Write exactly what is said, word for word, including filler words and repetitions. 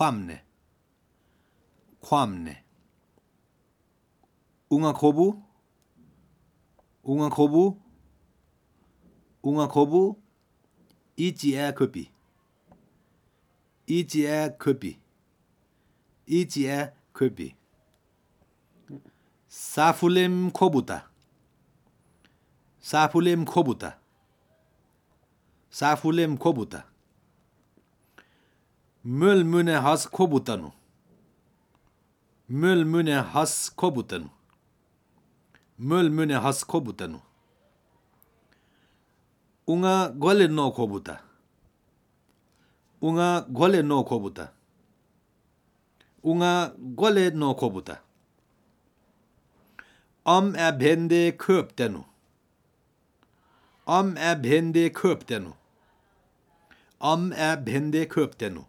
ความเนความเนอุงาโคบุอุงาโคบุอุงาโคบุอีจีเอคุปีอีจีเอคุปีอีจีเอคุปีซาฟูเลมโคบุตาซาฟูเลมโคบุตาซาฟูเลมโคบุตาMöl mune has kobutanu. Möl mune has kobutanu. Möl mune has kobutanu. Unga gole no kobuta. Unga gole no kobuta. Unga gole no kobuta. Om er bende köptenu. Om er bende köptenu. Om er bende köptenu.